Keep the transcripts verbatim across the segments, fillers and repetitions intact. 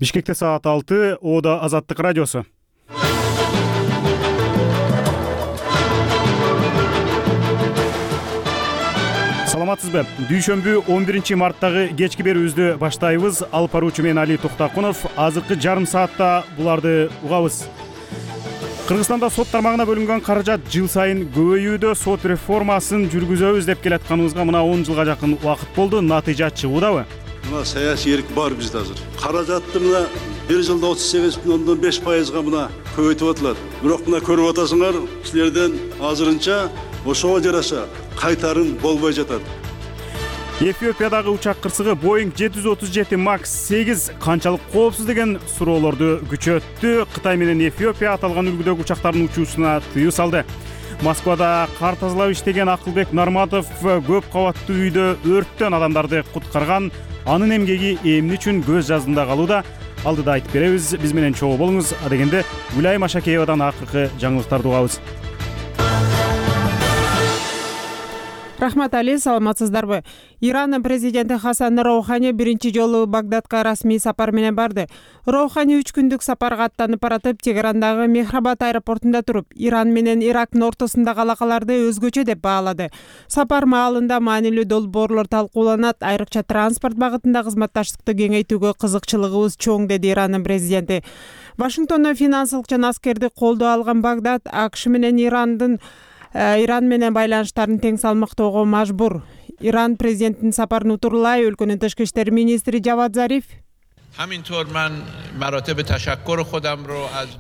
Бишкекте саат алты, Ода Азаттык радиосу. Саламатсызбы? Дүйшөмбү он биринчи марттагы кечки берүүбүздү баштайбыз. Алып баруучу мен Али Токтакунов. Азыркы жарым саатта буларды угабыз. Кыргызстанда сот тармагына бөлүнгөн каражат жыл сайын көбөйүүдө. Сот реформасын жүргүзөбүз деп келатканыбызга мына он жылга жакын убакыт болду. Натыйжа чыгуудабы? Мына саясий эрк бар бизде азыр. Каражатты мына бир жылда отуз сегиз бүтүн ондон беш пайызга мына көбөйтүп атылат. Бирок мына көрүп атасыңар, силерден азырынча ошого жараша кайтарым болбой жатат. Эфиопиядагы учак кырсыгы Boeing жети жүз отуз жети макс сегиз канчалык коопсуз деген суроолорду күчөттү. Кытай менен Эфиопия аталган үлгүдөгү учактардын учуусуна тыюу салды. Москвада кар тазалап иштеген Акылбек Нарматов көп кабаттуу үйдө өрттөн адамдарды куткарган. Анын эмгеги эмне үчүн көз жаздында калууда? Алдыда айтып беребиз. Биз менен чогуу болуңуз. Адегенде Гүлай Машакеевадан акыркы жаңылыктарды угабыз. Рахмат Али, саламатсыздарбы? Иран президенти Хасан Роухани биринчи жолу Багдадка расмий сапар менен барды. Роухани үч күндүк сапарга аттанып баратып, Тегерандагы Мехрабад аэропортунда туруп, Иран менен Ирактын ортосундагы алакаларды өзгөчө деп баалады. Сапар маалында маанилүү долбоорлор талкууланат, айрыкча транспорт багытында кызматташтыкты кеңейтүүгө кызыкчылыгыбыз чоң, деди Ирандын президенти. Вашингтондон финансылык жана аскердик колдоо алган Багдад АКШ менен Ирандын Иран менен байланыштарын тең салмактоого мажбур. Иран президентинин сапарын утурлай өлкөнүн тышкы иштер министри Жавад Зариф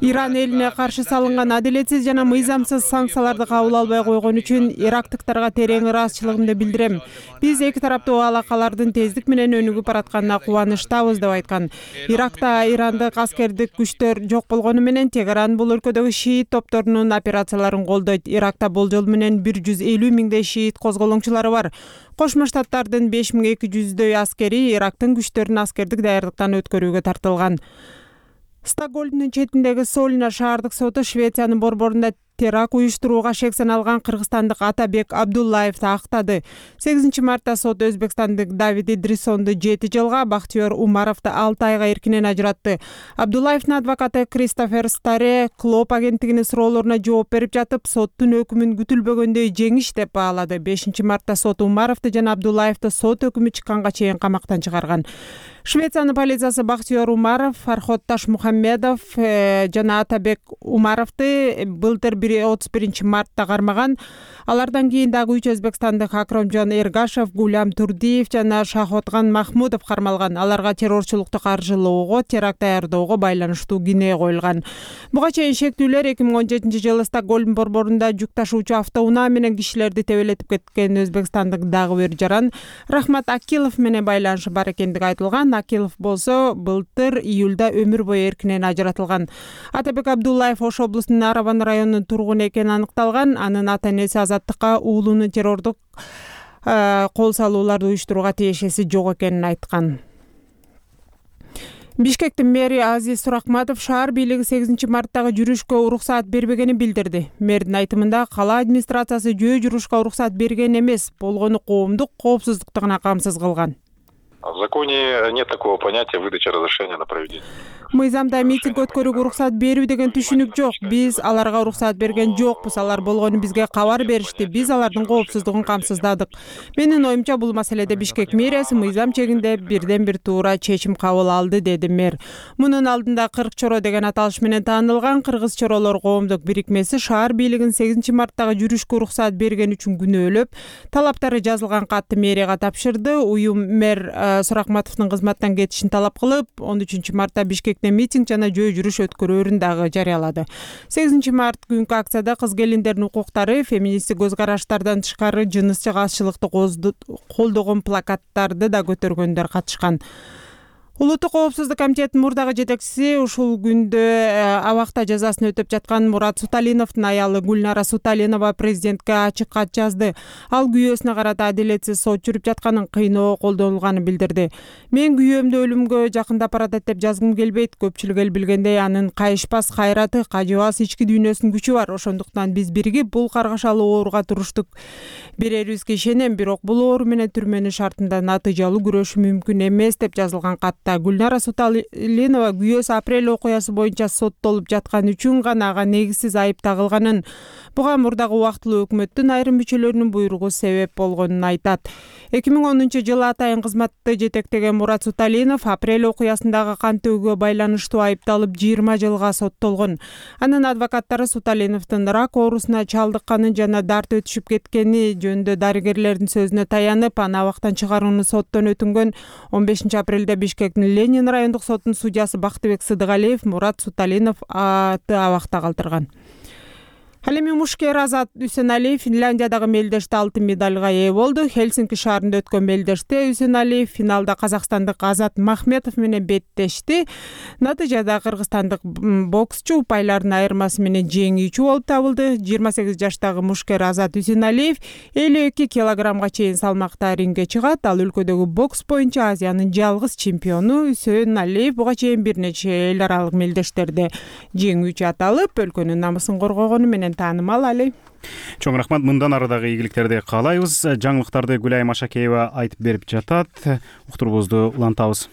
Иран элине каршы салынган адилетсиз жана мыйзамсыз санкцияларды кабыл албай койгон үчүн ирактыктарга терең ыраазычылыгымды билдирем. Биз эки тараптуу алакалардын тездик менен өнүгүп баратканына кубанычтабыз деп айткан. Иракта ирандык аскердик күчтөр жок болгону менен Тегеран бул өлкөдөгү шиит топторунун операцияларын колдойт. Иракта болжол менен бир жүз элүү миңдей шиит козголоңчулары бар. Кошмо Штаттардын беш миң эки жүздөй аскери Ирактын күчтөрүн аскердик даярдыктан өткөрүүгө тартылган. Стокгольмдун четиндеги Сольна шаардык соту Швециянын борборунда теракт уюштурууга шек саналган кыргызстандык Атабек Абдуллаевди актады. сегизинчи мартта сот өзбекстандык Давид Идрисонду жети жылга, Бактыёр Умаровду алты айга эркинен ажыратты. Абдуллаевдин адвокаты Кристофер Старе Клоп агенттигинин суроолоруна жооп берип жатып, соттун өкүмүн күтүлбөгөндөй жеңиш деп баалады. бешинчи мартта сот Умаровду жана Абдуллаевди сот өкүмү чыкканга чейин камактан чыгарган. Швециянын полициясы Бактыёр Умаров, Фархот Ташмухаммедов жана Атабек Умаровду былтыр отуз биринчи мартта кармаган. Алардан кийин дагы үч өзбекстандык Акромжон Эргашев, Гулям Турдиев жана Шахотган Махмудов кармалган. Аларга террорчулукту каржылоого, теракт даярдоого байланыштуу күнөө коюлган. Буга чейин шектүүлөр эки миң он жетинчи жылы Стокгольм борборунда жүк ташуучу автоунаа менен кишилерди тебелетип кеткен өзбекстандык дагы бир жаран Рахмат Акилов менен байланышы бар экендиги айтылган. Акилов болсо былтыр июлда өмүр бою эркинен ажыратылган. Атабек Абдуллаев Ош облусунун Арабан районунун тургуну экени аныкталган. Анын ата-энеси Азаттыкка уулунун террордук кол салууларды уюштурууга тиешеси жок экенин айткан. Бишкектин мэри Азиз Суракматов шаар бийлиги сегизинчи марттагы жүрүшкө уруксаат бербегенин билдирди. Мэрдин айтымында кала администрациясы жөө жүрүшкө уруксаат берген эмес, болгону коомдук коопсуздукту гана камсыз кылган. В законе нет такого понятия выдача разрешения на проведение. Мыйзамда митинг өткөрүүгө уруксаат берүү деген түшүнүк жок. Биз аларга уруксаат берген жокпуз. Алар болгону бизге кабар беришти. Биз алардын коопсуздугун камсыздадык. Менин оюмча бул маселеде Бишкек мэриясы мыйзам чегинде бирден бир туура чечим кабыл алды, деди мэр. Мунун алдында кырк чоро деген аталыш менен таанылган Кыргыз чоролор коомдук бирикмеси шаар бийлигин сегизинчи марттагы жүрүшкө уруксаат берген үчүн күнөөлөп, талаптары жазылган катты мэрияга тапшырды. Уюм мэр Суракматовдун кызматтан кетишин талап кылып, он үчүнчү мартта Бишкекте митинг жана жөө жүрүш өткөрүүрүн дагы жарыялады. сегизинчи март күнкү акцияда кыз келиндердин укуктары, феминисттик көз караштардан тышкары жыныстык азчылыкты колдогон плакаттарды да көтөргөндөр катышкан. Улуттук коопсуздук комитетинин мурдагы жетекчиси ушул күндө абакта жазасын өтөп жаткан Мурат Суталиновдун аялы Гүлнара Суталинова президентке ачык кат жазды. Ал күйөөсүнө карата адилетсиз сот жүрүп жатканын, кыйноо колдонулганын билдирди. Мен күйөөмдү өлүмгө жакындап баратат деп жазгым келбейт. Көпчүлүк эл билгендей анын кайышпас кайраты, кажыбас ички дүйнөсүнүн күчү бар. Ошондуктан биз биригип бул каргашалуу ооруга туруштук. Берерибизге ишенем, бирок бул оору менен түрмөнүн шартында натыйжалуу күрөшүү мүмкүн эмес деп жазылган кат Сотта Гүлнара Суталинова күйөөсү апрель окуясы боюнча соттолуп жаткан үчүн гана ага негизсиз айып тагылганын, буга мурдагы убактылуу өкмөттүн айрым мүчөлөрүнүн буйругу себеп болгонун айтат. эки миң онунчу жылы атайын кызматты жетектеген Мурат Суталинов апрель окуясындагы кан төгүүгө байланыштуу айыпталып жыйырма жылга соттолгон. Анын адвокаттары Суталиновдун рак оорусуна чалдыкканын жана дарт өтүшүп кеткени жөнүндө дарыгерлердин сөзүнө таянып, аны абактан чыгарууну соттон өтүнгөн. он бешинчи апрелде Бишкектин Ленин райондук сотунун судьясы Бактыбек Сыдыгалиев Мурат Суталинов аты абакта калтырган. Ал эми мушкер Азат Үсеналиев Финляндиядагы мелдеште алтын медалга ээ болду. Хельсинки шаарында өткөн мелдеште Үсеналиев финалда казакстандык Азат Махметов менен беттешти. Натыйжада кыргызстандык боксчу упайлардын айырмасы менен жеңүүчү болуп табылды. жыйырма сегиз жаштагы мушкер Азат Үсеналиев элүү эки килограммга чейин салмакта рингге чыгат. Ал өлкөдөгү бокс боюнча Азиянын жалгыз чемпиону. Үсеналиев буга чейин бир нече эл аралык мелдештерде жеңүүчү аталып, өлкөнүн намысын коргогону менен таанымал. Али. Чоң рахмат. Мындан арадагы ийгиликтерди каалайбыз. Жаңылыктарды Гүлайым Ашакеева айтып берип жатат. Уктурубузду улантабыз.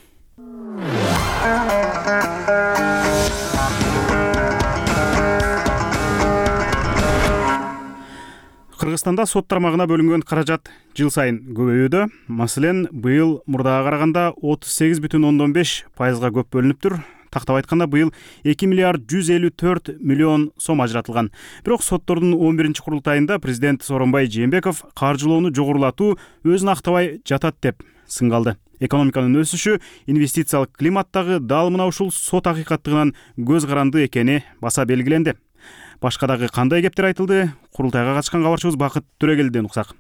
Кыргызстанда сот тармагына бөлүнгөн каражат жыл сайын көбөйүүдө. Маселен, быйыл мурдага караганда отуз сегиз бүтүн ондон беш пайызга көп бөлүнүптүр. Тактап айтканда, быйыл эки миллиард жүз элүү төрт миллион сом ажыратылган. Бирок соттордун он биринчи курултайында президент Сооронбай Жээнбеков каржылоону жогорулатуу өзүн актабай жатат деп сынга алды. Экономиканын өсүшү, инвестициялык климаттагы дал мына ушул сот акыйкаттыгынан көз каранды экени баса белгиленди. Башка дагы кандай кептер айтылды? Курултайга катышкан кабарчыбыз Бакыт Төрөгелден уксак.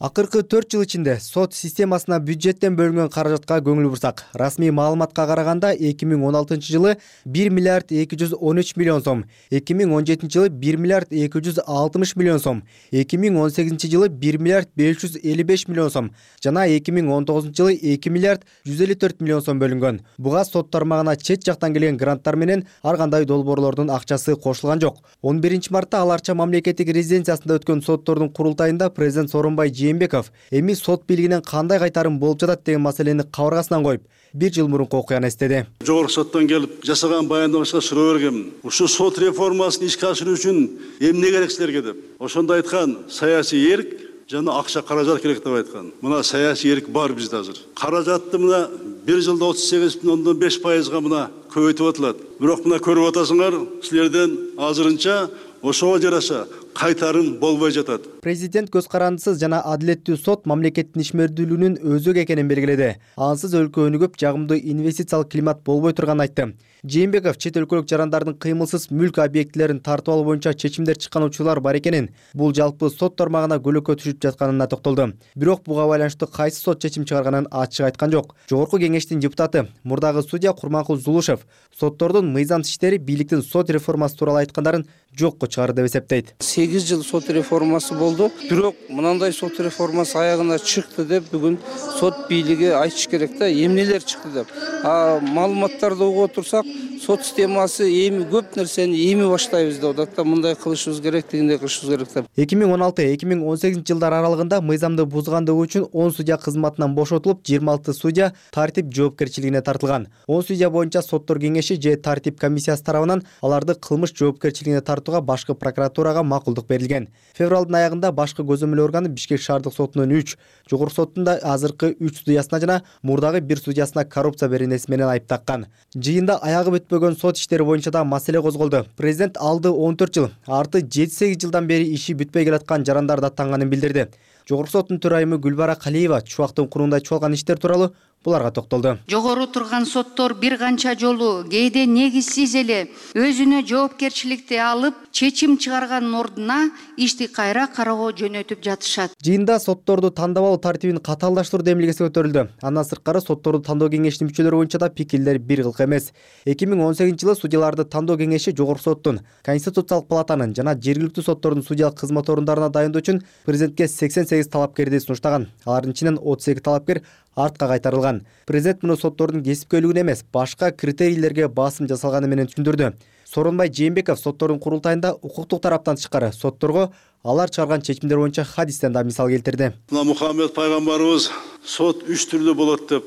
Акыркы төрт жыл ичинде сот системасына бюджеттен бөлүнгөн каражатка көңүл бурсак, расмий маалыматка караганда эки миң он алтынчы жылы бир миллиард эки жүз он үч миллион сом, эки миң он жетинчи жылы бир миллиард эки жүз алтымыш миллион сом, эки миң он сегизинчи жылы бир миллиард беш жүз элүү беш миллион сом жана эки миң он тогузунчу жылы эки миллиард жүз элүү төрт миллион сом бөлүнгөн. Буга сот тармагына чет жактан келген гранттар менен ар кандай долбоорлордун акчасы кошулган жок. он биринчи мартта Ал Арча мамлекеттик резиденциясында өткөн соттордун курултайында президент Сооронбай Жээнбеков эми сот бийлигинен кандай кайтарым болуп жатат деген маселени кабыргасынан коюп, бир жыл мурунку окуяны эстеди. Жогорку соттон келип жасаган баяндамачка суроо бергем. Ушул сот реформасын ишке ашыруу үчүн эмне керек силерге деп. Ошондо айткан, саясий эрк жана акча каражат керек деп айткан. Мына саясий эрк бар бизде азыр. Каражатты мына бир жылда отуз сегиз бүтүн ондон беш пайызга мына көбөйтүп атылат. Бирок мына көрүп атасыңар, силерден азырынча ошого жараша кайтарым болбой жатат. Президент көз карандысыз жана адилеттүү сот мамлекеттин ишмердүүлүгүнүн өзөк экенин белгиледи. Ансыз өлкө өнүгүп, жагымдуу инвестициялык климат болбой турганын айтты. Жээнбеков чет өлкөлүк жарандардын кыймылсыз мүлк объектилерин тартып алуу боюнча чечимдер чыккан учурлар бар экенин, бул жалпы сот тармагына көлөкө түшүп жатканына токтолду. Бирок буга байланыштуу кайсы сот чечим чыгарганын ачык айткан жок. Жогорку кеңештин депутаты, мурдагы судья Курманкул Зулушев соттордун мыйзамсыз иштери бийликтин сот реформасы тууралуу айткандарын жокко чыгарды деп эсептейт. сегиз жыл сот реформасы болду. Бирок мынандай сот реформасы аягына чыкты деп бүгүн сот бийлиги айтыш керек да, эмнелер чыкты деп. А маалыматтарды угуп отурсак, сот системасы эми көп нерсени эми баштайбыз деп атат да, мындай кылышыбыз керек, дегендей кылышыбыз керек деп. эки миң он алты эки миң он сегизинчи жылдар аралыгында мыйзамды бузгандыгы үчүн он судья кызматынан бошотулуп, жыйырма алты судья тартип жоопкерчилигине тартылган. он судья боюнча соттор кеңеши же тартип комиссиясы тарабынан аларды кылмыш жоопкерчилигине тартууга башкы прокуратурага макулдук берилген. Февралдын аягында башкы көзөмөл органы Бишкек шаардык сотунун үч, жогорку соттун да азыркы үч судьясына жана мурдагы бир судьясына коррупция беренеси менен айып таккан. Жыйында аягы бүтпөгөн сот иштери боюнча да маселе козголду. Президент алды он төрт жыл, арты жети сегиз жылдан бери иши бүтпөй келаткан жарандарды аттанганын билдирди. Жогорку соттун төрайымы Гүлбара Калиева чубактын курунда чуалган иштер тууралуу буларга токтолду. Жогору турган соттор бир канча жолу кээде негизсиз эле өзүнө жоопкерчиликти алып, чечим чыгарганын ордуна ишти кайра кароого жөнөтүп жатышат. Жыйында сотторду тандап алуу тартибин катаалдаштыруу демилгеси көтөрүлдү. Андан сырткары сотторду тандоо кеңешинин мүчөлөрү боюнча да пикирлер бир кылк эмес. эки миң он сегизинчи жылы судьяларды тандоо кеңеши жогорку соттун, Конституциялык палатанын жана жергиликтүү соттордун судьялык кызмат орундарына дайындоо үчүн президентке сексен сегиз талапкерди сунуштаган. Алардын ичинен отуз эки талапкер артка кайтарылган. Президент муну соттордун кесипкөйлүгүнө эмес, башка критерийлерге басым жасалганы менен түшүндүрдү. Сооронбай Жээнбеков соттордун курултайында укуктук тараптан тышкары сотторго алар чыгарган чечимдер боюнча хадистен да мисал келтирди. Мына Мухаммед пайгамбарыбыз сот үч түрлүү болот деп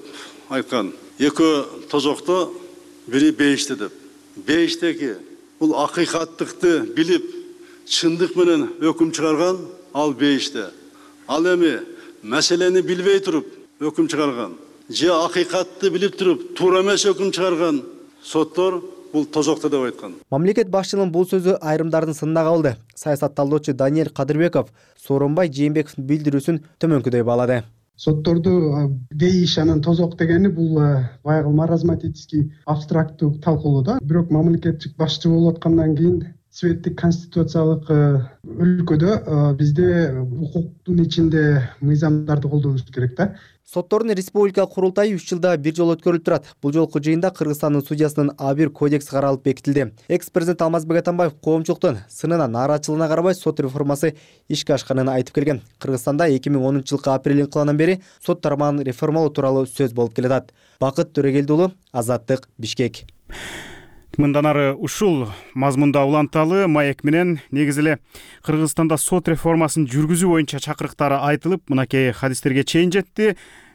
айткан. Экөө тозокто, бири бейиште деп. Бейиштеги бул акыйкаттыкты билип, чындык менен өкүм чыгарган ал бейиште. Ал эми маселени билбей туруп өкүм чыгарган, же акыйкатты билип туруп туура эмес өкүм чыгарган соттор бул тозокто деп айткан. Мамлекет башчынын бул сөзү айрымдардын сынына калды. Саясат талдоочу Даниэль Кадырбеков Сооронбай Жээнбековдун билдирүүсүн төмөнкүдөй баалады. Сотторду бейиш анан тозок дегени бул баягы маразматический абстракттуу талкуулоо да. Бирок мамлекеттик башчы болуп аткандан кийин светтик конституциялык өлкөдө бизде укуктун ичинде мыйзамдарды колдонуш керек да. Соттордун республикалык курултайы үч жылда бир жолу өткөрүлүп турат. Бул жолку жыйында Кыргызстандын судьясынын а бир кодекси каралып бекитилди. Экс-президент Алмазбек Атамбаев коомчулуктун сынына нааразычылыгына карабай сот реформасы ишке ашканын айтып келген. Кыргызстанда эки миң онунчу жылкы апрель инкылабынан бери сот тармагын реформалоо тууралуу сөз болуп келатат. Бакыт Төрөгелди уулу, Азаттык, Бишкек. Мындан ары ушул мазмунда уланталы маек менен негизи эле Кыргызстанда сот реформасын жүргүзүү боюнча чакырыктары айтылып, мынакей хадистерге чейин жетти.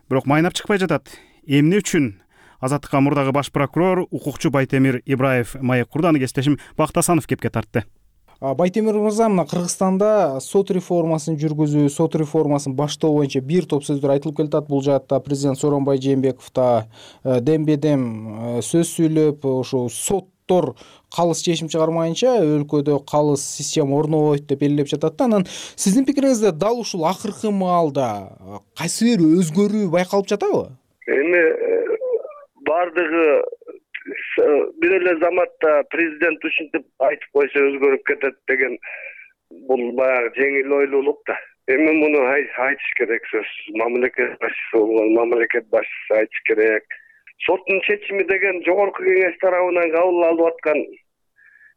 Бирок майнап чыкпай жатат. Эмне үчүн? Азаттыкка мурдагы баш прокурор, укукчу Байтемир Ибраев маек курду. Аны кесиптешим Бактасанов кепке тартты. Байтемир мырза, мына Кыргызстанда сот реформасын жүргүзүү, сот реформасын баштоо боюнча бир топ сөздөр айтылып келатат. Бул жаатта президент Сооронбай Жээнбеков да дембедем сөз сүйлөп, ошо соттор калыс чечим чыгармайынча өлкөдө калыс система орнобойт деп элеп жатат да. Анан сиздин пикириңизде дал ушул акыркы маалда кайсы бир өзгөрүү байкалып жатабы? Эми бардыгы бир эле заматта президент ушинтип айтып койсо өзгөрүп кетет деген бул баягы жеңил ойлуулук да. Эми муну айтыш керек сөз. Мамлекет башчысы болгон мамлекет башчысы айтыш керек. Соттун чечими деген жогорку кеңеш тарабынан кабыл алып аткан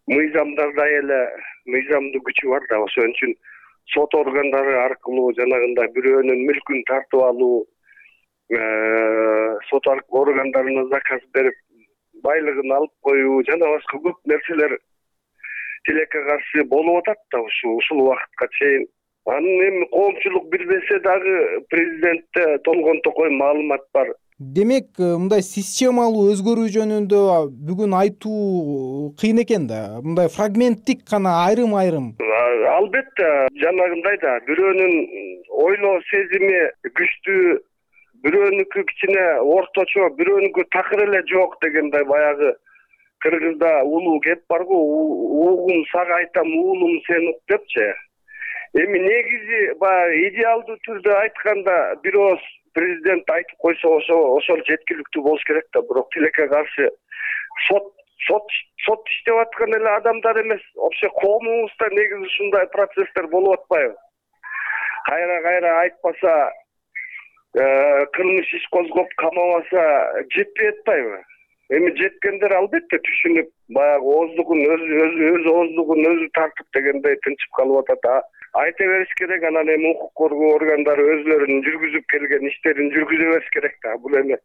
мыйзамдарда эле мыйзамдуу күчү бар да. Ошон үчүн сот органдары аркылуу жанагындай бирөөнүн мүлкүн тартып алуу, сот органдарына заказ берип байлыгын алып коюу жана башка көп нерселер тилекке каршы болуп атат да ушул ушул убакытка чейин. Анын эми коомчулук билбесе дагы президентте толгон токой маалымат бар. Демек, мындай системалуу өзгөрүү жөнүндө бүгүн айтуу кыйын экен да. Мындай фрагменттик гана айрым-айрым. Албетте, жанагындай да бирөөнүн ойлоо сезими күчтүү, бирөөнүкү кичине орточо, бирөөнүкү такыр эле жок дегендей баягы кыргызда улуу кеп барго, угум сага айтам, уулум сен ук депчи. Эми негизи баягы идеалдуу түрдө айтканда бир ооз президент айтып койсо ошол жеткиликтүү болуш керек да. Бирок тилекке каршы сот сот сот иштеп аткан эле адамдар эмес, вообще коомубузда негизи ушундай процесстер болуп атпайбы? Кайра-кайра айтпаса, кылмыш иш козгоп камабаса жетпей атпайбы? Эми жеткендер албетте түшүнүп, баягы ооздугун өзү өз ооздугун өзү тартып дегендей тынчып калып атат. Айта бериш керек, анан эми укук коргоо органдары өзлөрүнүн жүргүзүп келген иштерин жүргүзө бериш керек да. Бул эми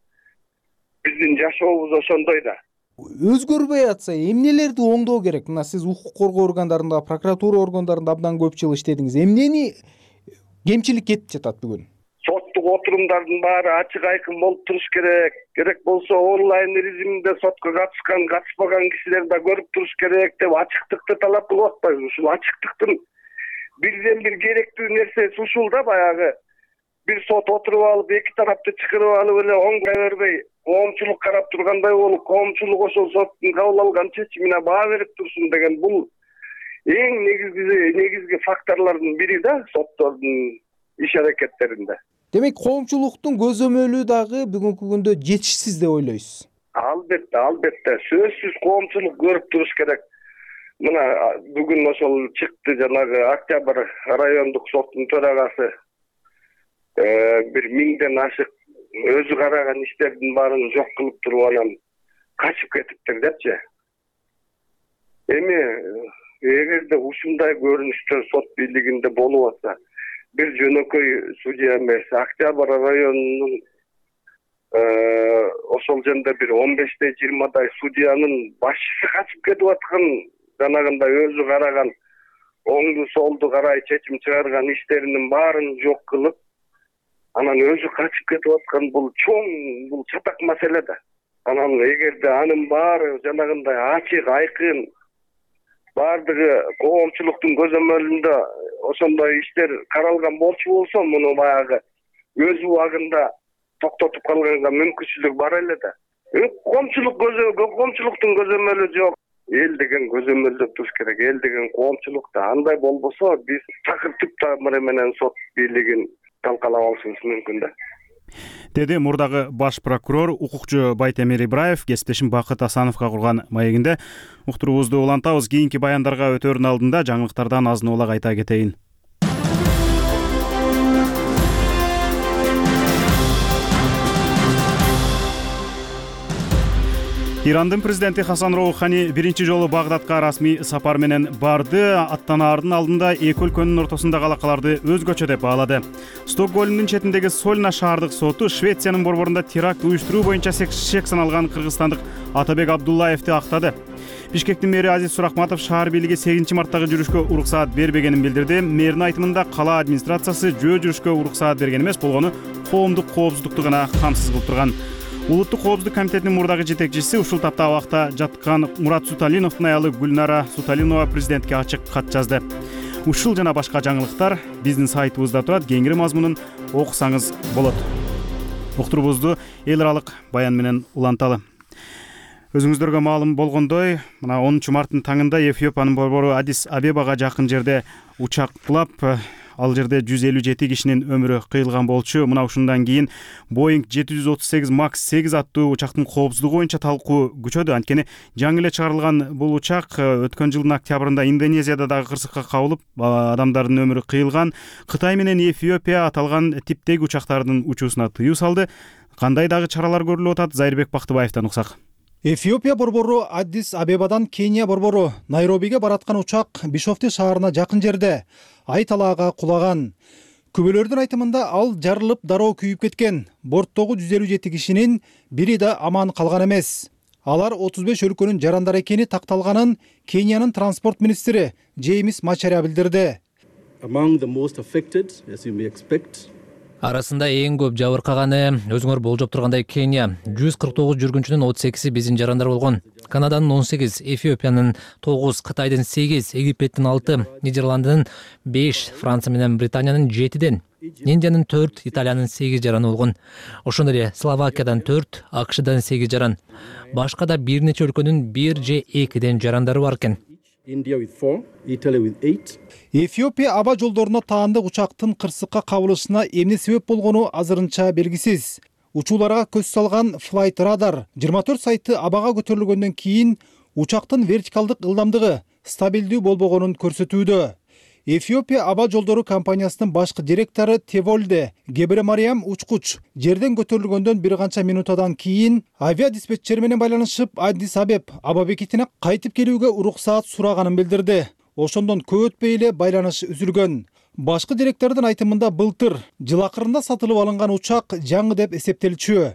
биздин жашообуз ошондой да. Өзгөрбөй атса, эмнелерди оңдоо керек? Мына сиз укук коргоо органдарында, прокуратура органдарында абдан көп жыл иштедиңиз. Эмнени кемчилик кетип жатат бүгүн? Соттук отурумдардын баары ачык айкын болуп туруш керек. Керек болсо онлайн режиминде сотко катышкан, катышпаган кишилер да көрүп туруш керек деп ачыктыкты талап кылып атпайбыз. Ушул ачыктыктын бирден бир керектүү нерсеси ушул да. Баягы бир сот отуруп алып, эки тарапты чакырып алып эле оңгой бербей, коомчулук карап тургандай болуп, коомчулук ошол соттун кабыл алган чечимине баа берип турсун деген бул эң негизги негизги факторлордун бири да соттордун иш аракеттеринде. Демек, коомчулуктун көзөмөлү дагы бүгүнкү күндө жетишсиз деп ойлойсуз? Албетте, албетте. Сөзсүз коомчулук көрүп туруш керек. Мына бүгүн ошол чыкты, жанагы Октябрь райондук соттун төрагасы бир миңден ашык өзү караган иштердин баарын жок кылып туруп анан качып кетиптир депчи. Эми эгерде ушундай көрүнүштөр сот бийлигинде болуп атса, бир жөнөкөй судья эмес, Октябрь районунун ошол жерде бир он беште жыйырмадай судьянын башчысы качып кетип аткан, жанагындай өзү караган, оңду солду карай чечим чыгарган иштеринин баарын жок кылып, анан өзү качып кетип аткан бул чоң бул чатак маселе да. Анан эгерде анын баары жанагындай ачык, айкын баардыгы коомчулуктун көзөмөлүндө ошондой иштер каралган болчу болсо, муну баягы өз убагында токтотуп калганга мүмкүнчүлүк бар эле да. Коомчулук көзө коомчулуктун көзөмөлү жок. Эл деген көзөмөлдөп туруш керек. Эл деген коомчулукта. Андай болбосо биз такыр түп тамыры менен сот бийлигин талкалап алышыбыз мүмкүн да. Деди мурдагы баш прокурор укукчу Байтемир Ибраев кесиптешим Бакыт Асановго курган маегинде. Уктуруубузду улантабыз. Кийинки баяндарга өтөөрүн алдында жаңылыктардан азын улак айта кетейин. Ирандын президенти Хасан Роухани биринчи жолу Багдадка расмий сапар менен барды. Аттанаардын алдында эки өлкөнүн ортосундагы алакаларды өзгөчө деп баалады. Стокгольмдун четиндеги Сольна шаардык соту Швециянын борборунда теракт уюштуруу боюнча шек саналган кыргызстандык Атабек Абдуллаевди актады. Бишкектин мэри Азиз Сурахматов шаар бийлиги сегизинчи марттагы жүрүшкө уруксаат бербегенин билдирди. Мэрдин айтымында кала администрациясы жөө жүрүшкө уруксаат берген эмес, болгону коомдук коопсуздукту гана камсыз кылып турган. Улуттук коопсуздук комитетинин мурдагы жетекчиси ушул тапта абакта жаткан Мурат Суталиновдун аялы Гүлнара Суталинова президентке ачык кат жазды. Ушул жана башка жаңылыктар биздин сайтыбызда турат, кеңири мазмунун окусаңыз болот. Уктуруубузду эл аралык баян менен уланталы. Өзүңүздөргө маалым болгондой, мына онунчу марттын таңында Эфиопиянын борбору Адис Абебага жакын жерде учак кулап, ал жерде жүз элүү жети кишинин өмүрү кыйылган болчу. Мына ушундан кийин Боинг жети жүз отуз сегиз макс сегиз аттуу учактын коопсуздугу боюнча талкуу күчөдү. Анткени жаңы эле чыгарылган бул учак өткөн жылдын октябрында Индонезияда дагы кырсыкка кабылып, адамдардын өмүрү кыйылган. Кытай менен Эфиопия аталган типтеги учактардын учуусуна тыюу салды. Кандай дагы чаралар көрүлүп атат? Зайырбек Бактыбаевден уксак. Эфиопия борбору Аддис Абебадан Кения борбору Найробиге бараткан учак Бишофту шаарына жакын жерде ай талаага кулаган. Күбөлөрдүн айтымында ал жарылып дароо күйүп кеткен. Борттогу жүз элүү жети кишинин бири да аман калган эмес. Алар отуз беш өлкөнүн жарандары экени такталганын Кениянын транспорт министри Джеймс Мачариа билдирди. Among the most affected, as you may expect, арасында эң көп жабыркаганы өзүңөр болжоп тургандай Кения. жүз кырк тогуз жүргүнчүнүн отуз экиси биздин жарандар болгон. Канаданын он сегиз, Эфиопиянын тогуз, Кытайдын сегиз, Египеттин алты, Нидерландынын беш, Франция менен Британиянын жетиден, Индиянын төрт, Италиянын сегиз жараны болгон. Ошондой эле Словакиядан төрт, АКШдан сегиз жаран. Башка да бир нече өлкөнүн бир же экиден жарандары бар экен. India with four, Italy with eight. Эфиопия аба жолдоруна таандык учактын кырсыкка кабылышына эмне себеп болгону азырынча белгисиз. Учууларга көз салган Flight Radar жыйырма төрт сайты абага көтөрүлгөндөн кийин учактын вертикалдык ылдамдыгы стабилдүү болбогонун көрсөтүүдө. Эфиопия аба жолдору компаниясынын башкы директору Теволде Гебремариам учкуч жерден көтөрүлгөндөн бир канча минутадан кийин авиадиспетчер менен байланышып Аддис Абеб аба бекетине кайтып келүүгө уруксаат сураганын билдирди. Ошондон көп өтпөй эле байланыш үзүлгөн. Башкы директордун айтымында былтыр жыл акырында сатылып алынган учак жаңы деп эсептелчү.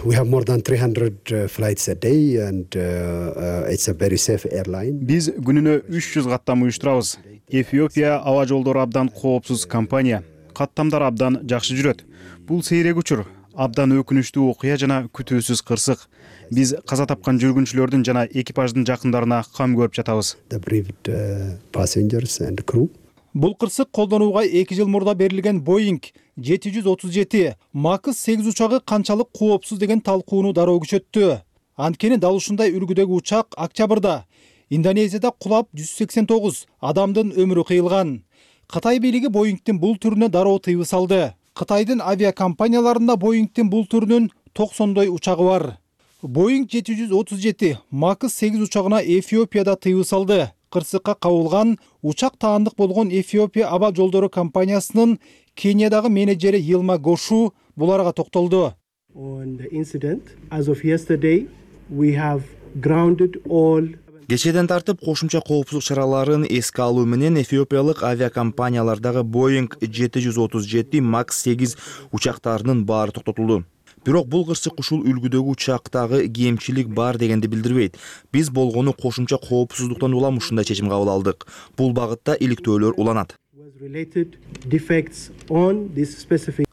We have more than three hundred uh, flights a day and uh, uh, it's a very safe airline. Биз күнүнө үч жүз каттам уюштурабыз. Эфиопия аба жолдору абдан коопсуз компания. Каттамдар абдан жакшы жүрөт. Бул сейрек учур, абдан өкүнүчтүү окуя жана күтүүсүз кырсык. Биз каза тапкан жүргүнчүлөрдүн жана экипаждын жакындарына кам көрүп жатабыз. The bereaved uh, passengers and crew. Бул кырсык колдонууга эки жыл мурда берилген Боинг жети жүз отуз жети макс сегиз учагы канчалык коопсуз деген талкууну дароо күчөттү. Анткени дал ушундай үлгүдөгү учак октябрда Индонезияда кулап жүз сексен тогуз адамдын өмүрү кыйылган. Кытай бийлиги Боингдин бул түрүнө дароо тыюу салды. Кытайдын авиакомпанияларында Боингдин бул түрүнүн токсондой учагы бар. Боинг жети жүз отуз жети макс сегиз учагына Эфиопияда тыюу салды. Кырсыкка кабылган учак таандык болгон Эфиопия аба жолдору компаниясынын Кениядагы менеджери Йилма Гошу буларга токтолду. On the incident, as of yesterday, we have grounded all. Кечеден тартып кошумча коопсуздук чараларын эске алуу менен эфиопиялык авиакомпаниялардагы Боинг жети жүз отуз жети макс сегиз учактарынын баары токтотулду. Бирок бул кырсык ушул үлгүдөгү учактагы кемчилик бар дегенди билдирбейт. Биз болгону кошумча коопсуздуктан улам ушундай чечим кабыл алдык. Бул багытта иликтөөлөр уланат.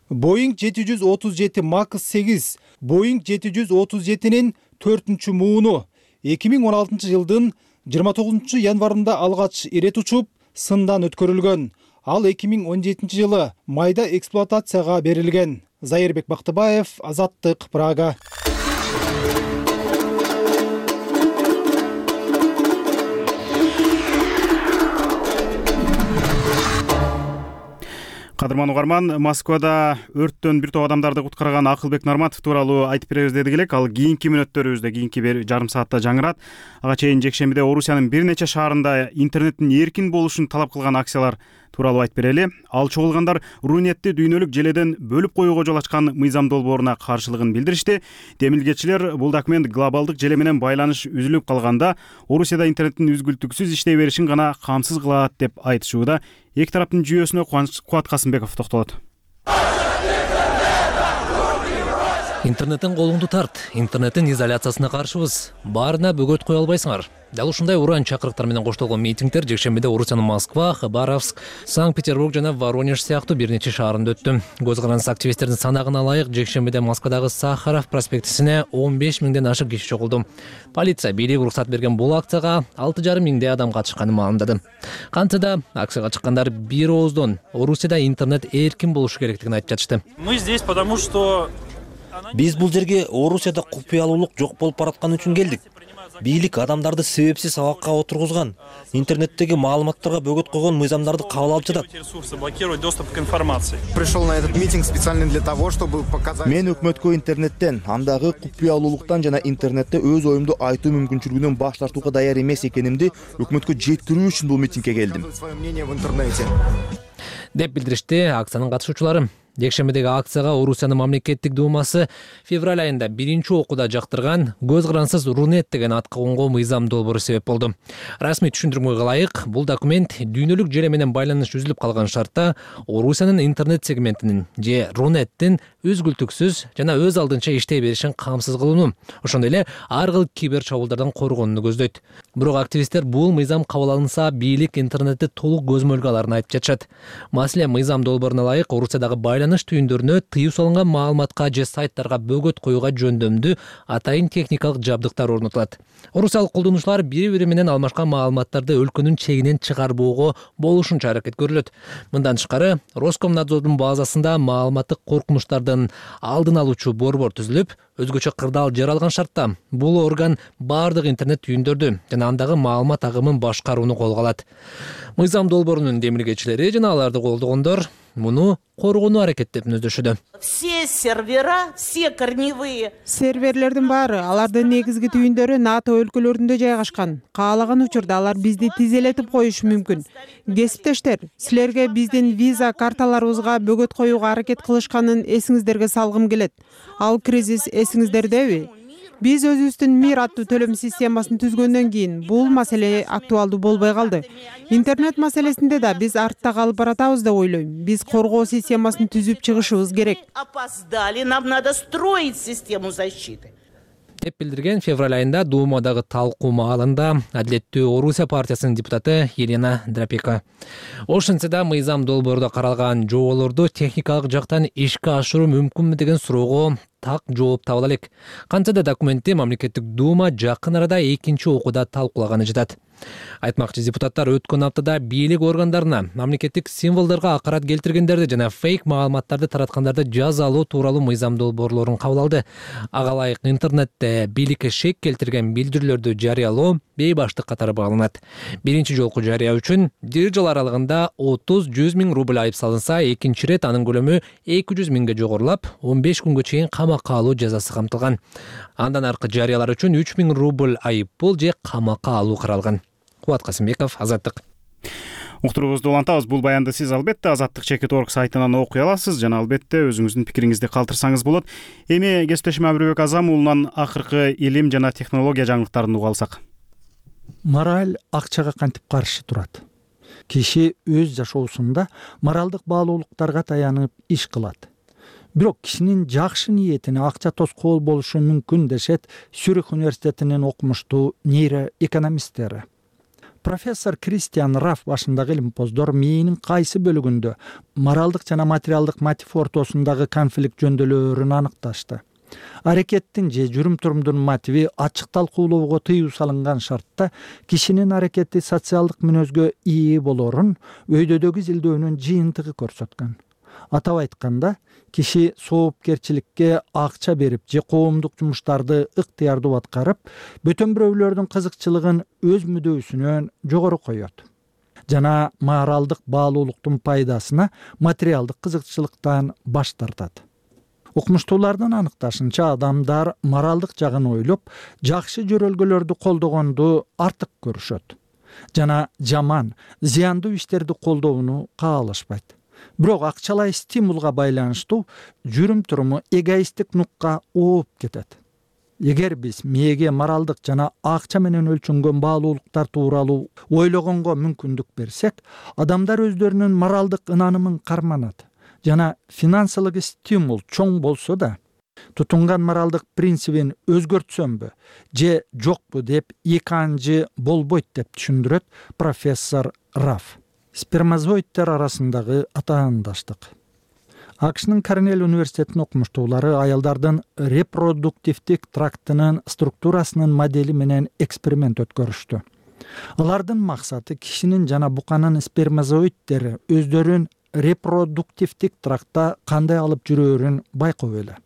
Boeing жети жүз отуз жети макс сегиз Boeing жети жүз отуз жетинин төртүнчү мууну эки миң он алтынчы жылдын жыйырма тогузунчу январында алгач ирет учуп сындан өткөрүлгөн. Ал эки миң он жетинчи жылы майда эксплуатацияга берилген. Зайырбек Бактыбаев, Азаттык, Прага. Кадырман угарман, Москвада өрттөн бир топ адамдарды куткарган Акылбек Норматов тууралуу айтып беребиз дедик элек. Ал кийинки мүнөттөрүбүздө, кийинки бир жарым саатта жаңырат. Ага чейин жекшембиде Орусиянын бир нече шаарында интернеттин эркин болушун талап кылган акциялар тууралуу айтып берели. Ал чогулгандар Рунетти дүйнөлүк желеден бөлүп коюуга жол ачкан мыйзам долбооруна каршылыгын билдиришти. Демилгечилер бул документ глобалдык желе менен байланыш үзүлүп калганда Орусияда интернеттин үзгүлтүксүз иштей беришин гана камсыз кылат деп айтышууда. Эки тараптын жүйөсүнө Кубат Касымбеков токтолот. Интернеттен колуңду тарт. Интернеттин изоляциясына каршыбыз. Баарына бөгөт кое албайсыңар. Дал ушундай уран чакырыктар менен коштолгон митингдер жекшембиде Орусиянын Москва, Хабаровск, Санкт-Петербург жана Воронеж сыяктуу бир нече шаарында өттү. Көз карандысы активисттердин санагына ылайык жекшембиде Москвадагы Сахаров проспектисине он беш миңден ашык киши чогулду. Полиция бийлик уруксат берген бул акцияга алты жарым миңдей адам катышканын маалымдады. Кантсе да акцияга чыккандар бир ооздон Орусияда интернет эркин болушу керектигин айтып жатышты. Мы здесь потому что Биз бул жерге Орусияда купуялуулук жок болуп бараткан үчүн келдик. Бийлик адамдарды себепсиз абакка отургузган, интернеттеги маалыматтарга бөгөт койгон мыйзамдарды кабыл алып жатат. Пришел на этот митинг специально для того, чтобы показать. Мен өкмөткө интернеттен, андагы купуялуулуктан жана интернетте өз оюмду айтуу мүмкүнчүлүгүнөн баш тартууга даяр эмес экенимди өкмөткө жеткирүү үчүн бул митингге келдим. Свое мнение в интернете. Деп билдиришти акциянын катышуучулары. Жекшембидеги акцияга Орусиянын мамлекеттик думасы февраль айында биринчи окууда жактырган көз карансыз Рунет деген атка конгон мыйзам долбоору себеп болду. Расмий түшүндүрмөгө ылайык, бул документ дүйнөлүк желе менен байланыш үзүлүп калган шартта Орусиянын интернет сегментинин же Рунеттин үзгүлтүксүз жана өз алдынча иштей беришин камсыз кылууну, ошондой эле ар кыл кибер чабуулдардан коргонууну көздөйт. Бирок активисттер бул мыйзам кабыл алынса, бийлик интернетти толук көзмөлгө аларын айтып жатышат. Маселен, мыйзам долбооруна ылайык Орусиядагы байланыш түйүндөрүнө тыюу салынган маалыматка же сайттарга бөгөт коюуга жөндөмдүү атайын техникалык жабдыктар орнотулат. Орусиялык колдонуучулар бири-бири менен алмашкан маалыматтарды өлкөнүн чегинен чыгарбоого болушунча аракет көрүлөт. Мындан тышкары, Роскомнадзордун базасында маалыматтык коркунучтардын алдын алуучу борбор түзүлүп, өзгөчө кырдаал жаралган шартта бул орган баардык интернет түйүндөрдү жана андагы маалымат агымын башкарууну колго алат. Мыйзам долбоорунун демилгечилери жана аларды колдогондор муну коргонуу аракеттерин өздөшүүдө. Все сервера, все корневые. Серверлердин баары, алардын негизги түйүндөрү НАТО өлкөлөрүндө жайгашкан. Каалаган учурда алар бизди тизелетип коюшу мүмкүн. Кесиптештер, силерге биздин виза карталарыбызга бөгөт коюуга аракет кылышканын эсиңиздерге салгым келет. Ал кризис эсиңиздердеби? Биз өзүбүздүн Мир аттуу төлөм системасын түзгөндөн кийин бул маселе актуалдуу болбой калды. Интернет маселесинде да биз артта калып баратабыз деп ойлойм. Биз коргоо системасын түзүп чыгышыбыз керек. Опоздали, нам надо строить систему защиты. Деп билдирген февраль айында Думадагы талкуу маалында Адилеттүү Орусия партиясынын депутаты Елена Драпека. Ошентсе да мыйзам долбоорунда каралган жоболорду техникалык жактан ишке ашыруу мүмкүнбү деген суроого так жооп таба элек. Кантсе да документти мамлекеттик дума жакын арада экинчи окууда талкуулаганы жатат. Айтмакчы депутаттар өткөн аптада бийлик органдарына мамлекеттик символдорго акарат келтиргендерди жана фейк маалыматтарды тараткандарды жазалоо тууралуу мыйзам долбоорлорун кабыл алды. Ага ылайык интернетте бийликке шек келтирген билдирүүлөрдү жарыялоо бейбаштык катары бааланат. Биринчи жолку жарыя үчүн бир жыл аралыгында отуз жүз миң рубль айып салынса, экинчи ирет анын көлөмү эки жүз миңге жогорулап, он беш күнгө чейин камакка алуу жазасы камтылган. Андан аркы жарыялар үчүн үч миң рубль айып пул же камакка алуу каралган. Кубат Касымбеков, Азаттык. Уктуруубузду улантабыз. Бул баянды сиз албетте Азаттык чекит орг сайтынан окуй аласыз жана албетте өзүңүздүн пикириңизди калтырсаңыз болот. Эми кесиптешим Абрыбек Азам уулунан акыркы илим жана технология жаңылыктарын уга алсак. Мораль акчага кантип каршы турат? Киши өз жашоосунда моралдык баалуулуктарга таянып иш кылат. Бирок кишинин жакшы ниетине акча тоскоол болушу мүмкүн дешет Цюрих университетинин окумуштуу нейроэкономисттери. профессор Кристиан Раф башындагы илимпоздор мээнин кайсы бөлүгүндө моралдык жана материалдык мотив ортосундагы конфликт жөндөөлөрүн аныкташты. Аракеттин же жүрүм-турумдун мотиви ачык талкуулоого тыюу салынган шартта кишинин аракети социалдык мүнөзгө ээ болорун өйдөдөгү изилдөөнүн жыйынтыгы көрсөткөн. Атап айтканда, киши соопкерчиликке акча берип же коомдук жумуштарды ыктыярдуу аткарып, бөтөн бирөөлөрдүн кызыкчылыгын өз мүдөөсүнөн жогору коет жана моралдык баалуулуктун пайдасына материалдык кызыкчылыктан баш тартат. Окумуштуулардын аныкташынча, адамдар моралдык жагын ойлоп, жакшы жөрөлгөлөрдү колдогонду артык көрүшөт жана жаман, зыяндуу иштерди колдоону каалашпайт. Бирок акчалай стимулга байланыштуу жүрүм-туруму эгоисттик нукка ооп кетет. Эгер биз мээге моралдык жана акча менен өлчөнгөн баалуулуктар тууралуу ойлогонго мүмкүндүк берсек, адамдар өздөрүнүн моралдык ынанымын карманат жана финансылык стимул чоң болсо да, тутунган моралдык принцибин өзгөртсөмбү же жокпу деп эки анжы болбойт деп түшүндүрөт профессор Раф. Спермазоидтер арасындагы атаандаштык. АКШнын Корнелл университетинин окумуштуулары аялдардын репродуктивдик трактынын структурасынын модели менен эксперимент өткөрүштү. Алардын максаты кишинин жана буканын спермазоидтери өздөрүн репродуктивдик трактта кандай алып жүрөөрүн байкоо эле.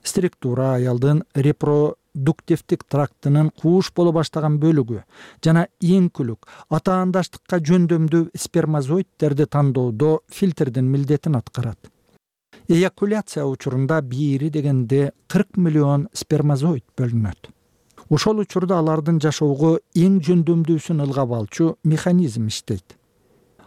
Структура аялдын репродуктивдик трактынын кууш боло баштаган бөлүгү жана ийинкүлүк атаандаштыкка жөндөмдүү спермазоидтерди тандоодо фильтрдин милдетин аткарат. Эякуляция учурунда бири дегенде кырк миллион спермазоид бөлүнөт. Ошол учурда алардын жашоого эң жөндөмдүүсүн ылгап алчу механизм иштейт.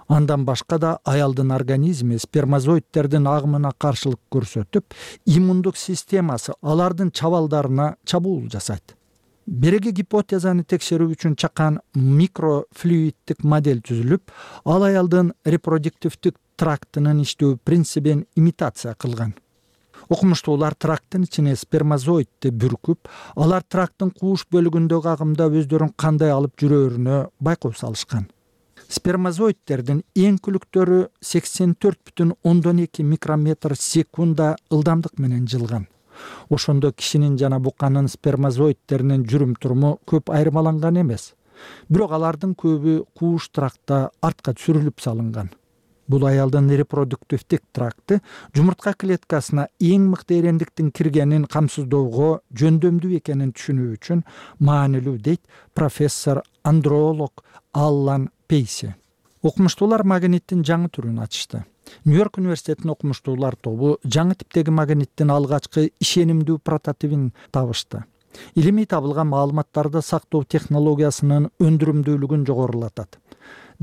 Андан башка да аялдын организми спермазоидтердин агымына каршылык көрсөтүп, иммундук системасы алардын чабалдарына чабуул жасайт. Береги гипотезаны текшерүү үчүн чакан микрофлюиддик модель түзүлүп, ал аялдын репродуктивдик трактынын иштөө принцибин имитация кылган. Окумуштуулар тракттын ичине спермазоидти бүркүп, алар тракттын кууш бөлүгүндөгү агымда өздөрүн кандай алып жүрөөрүнө байкоо салышкан. Спермазоидтердин ийинкүлүктөрү сексен төрт бүтүн ондон эки микрометр секунда ылдамдык менен жылган. Ошондо кишинин жана буканын спермазоидтеринин жүрүм-туруму көп айырмаланган эмес. Бирок алардын көбү кууш трактта артка сүрүлүп салынган. Бул аялдын репродуктивдик тракты жумуртка клеткасына эң мыкты эрендиктин киргенин камсыздоого жөндөмдүү экенин түшүнүү үчүн маанилүү, дейт профессор андролог Аллан Пейси. Окумуштуулар магниттин жаңы түрүн ачышты. Нью-Йорк университетинин окумуштуулар тобу жаңы типтеги магниттин алгачкы ишенимдүү прототипин табышты. Илимий табылган маалыматтарды сактоо технологиясынын өндүрүмдүүлүгүн жогорулатат.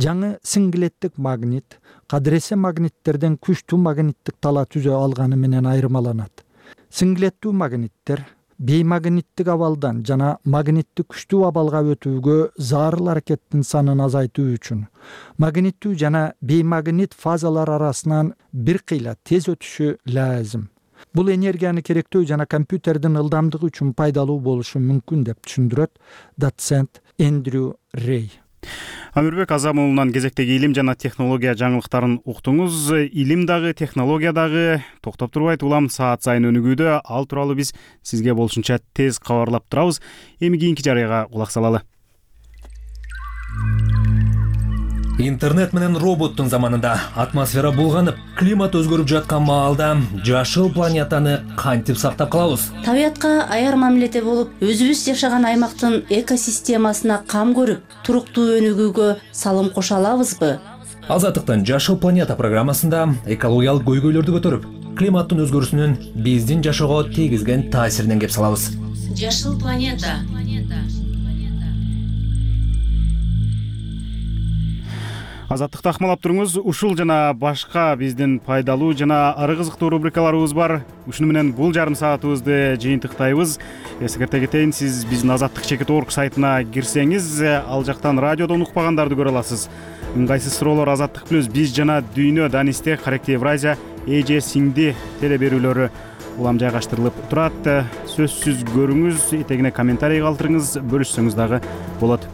Жаңы синглеттик магнит кадыресе магниттерден күчтүү магниттик тала түзө алганы менен айырмаланат. Синглеттүү магниттер беймагниттик абалдан жана магниттик күчтүү абалга өтүүгө зарыл аракеттин санын азайтуу үчүн магниттүү жана беймагнит фазалар арасынан бир кыйла тез өтүшү лазым. Бул энергияны керектөө жана компьютердин ылдамдыгы үчүн пайдалуу болушу мүмкүн деп түшүндүрөт доцент Эндрю Рей. Амирбек Азамулунан кезектеги илим жана технология жаңылыктарын уктуңуз. Илим дагы, технология дагы токтоп турбайт, улам саат сайын өнүгүүдө. Ал тууралуу биз сизге болушунча тез кабарлап турабыз. Эми кийинки жарыяга кулак салалы. Интернет менен роботтун заманында атмосфера булганып, климат өзгөрүп жаткан маалда жашыл планетаны кантип сактап калабыз? Табиятка аяр мамиледе болуп, өзүбүз жашаган аймактын экосистемасына кам көрүп, туруктуу өнүгүүгө салым кошо алабызбы? Азаттыктын Жашыл планета программасында экологиялык көйгөйлөрдү көтөрүп, климаттын өзгөрүүсүнүн биздин жашоого тийгизген таасиринен кеп салабыз. Жашыл планета. Азаттыкты акмалап туруңуз. Ушул жана башка биздин пайдалуу жана ары кызыктуу рубрикаларыбыз бар. Ушуну менен бул жарым саатыбызды жыйынтыктайбыз. Эсикерте кетейин, сиз биздин азаттык чекит орг сайтына кирсеңиз, ал жактан радиодон укпагандарды көрө аласыз. Ыңгайсыз суроолор, азаттык плюс биз жана дүйнө, Данисте, Каректи Евразия, эже сиңди теле берүүлөрү улам жайгаштырылып турат. Сөзсүз көрүңүз, этегине комментарий калтырыңыз, бөлүшсөңүз дагы болот.